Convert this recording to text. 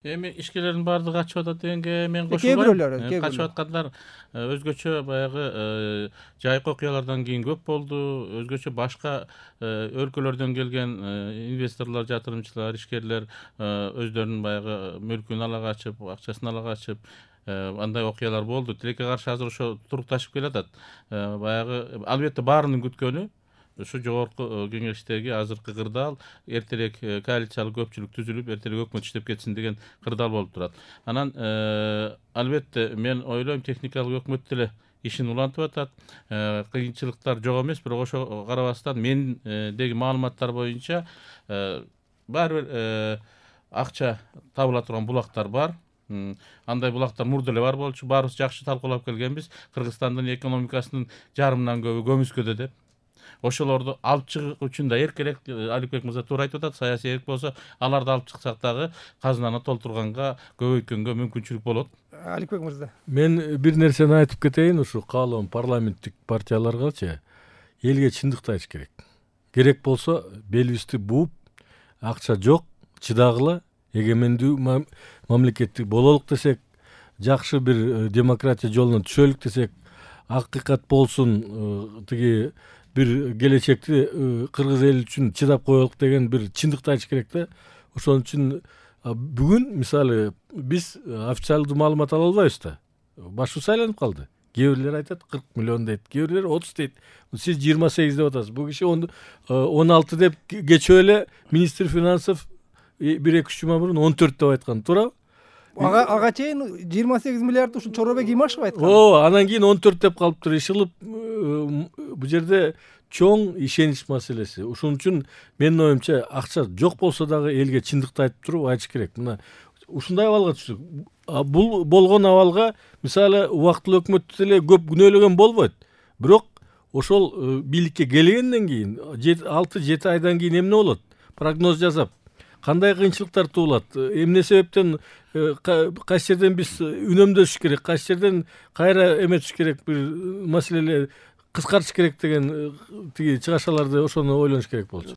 Эми ишкерлердин баардыгы качып атат дегенге мен Кээ-бирөөлөрү, кошулбайм. Качып аткандар өзгөчө баягы жайкы окуялардан кийин көп болду. Өзгөчө башка өлкөлөрдөн келген инвесторлор, жатырымчылар, ишкерлер өздөрүнүн баягы мүлкүн ала качып, акчасын ала качып андай окуялар болду. Тилекке каршы азыр ошо турукташып келатат. Баягы албетте баарынын күткөнү ушу жогорку кеңештеги азыркы кырдаал эртерээк коалициялык көпчүлүк түзүлүп, эртерээк өкмөт иштеп кетсин деген кырдаал болуп турат. Анан албетте мен ойлойм техникалык өкмөт деле ишин улантып атат. Кыйынчылыктар жок эмес, бирок ошого карабастан мендеги маалыматтар боюнча баары бир акча табыла турган булактар бар. Андай булактар мурда эле бар болчу. Баарыбыз жакшы талкуулап келгенбиз. Кыргызстандын экономикасынын жарымынан көбү көмүскөдө деп. Ошолорду алып чыгуу үчүн да эркерээк, Аликбек мырза туура айтып атат, саясий эрк болсо, аларды алып чыксак дагы казынаны толтурганга, көбөйткөнгө мүмкүнчүлүк болот. Аликбек мырза. Мен бир нерсени айтып кетейин, ушу каалоом парламенттик партияларгачы элге чындыкты айтыш керек. Керек болсо белибизди бууп, акча жок, чыдагыла, эгемендүү мамлекеттик бололук десек, жакшы бир демократия жолуна түшөлүк десек, акыйкат болсун, тиги бир келечекти кыргыз эли үчүн чыдап коелук деген бир чындыкты айтыш керек да. Ошон үчүн бүгүн мисалы биз официалдуу маалымат ала албайбыз да. Башыбыз айланып калды. Кээ бирлер айтат 40 миллион дейт, кээ бирлер 30 дейт. Сиз 28 деп атасыз. Бул киши 16 деп кечөө эле министр финансов 1-2 жума мурун 14 деп айткан, туурабы? Ага чейин 28 миллиард ушу Чоробек Имашев айткан. Анан кийин 14 деп калыптыр. Ишылып бул жерде чоң ишенич маселеси. Ошон үчүн менин оюмча акча жок болсо дагы элге чындыкты айтып туруп айтыш керек. Мына ушундай абалга түштүк. Бул болгон абалга мисалы убактылуу өкмөттү деле көп күнөөлөгөн болбойт. Бирок ошол бийликке келгенден кийин 6-7 айдан кийин эмне болот? Прогноз жасап кандай кыйынчылыктар туулат, эмне себептен кайсы жерден биз үнөмдөшүш керек, кайсы жерден кайра эметиш керек, бир маселелер кыскартыш керек деген тиги чыгашаларды ошону ойлонуш керек болчу.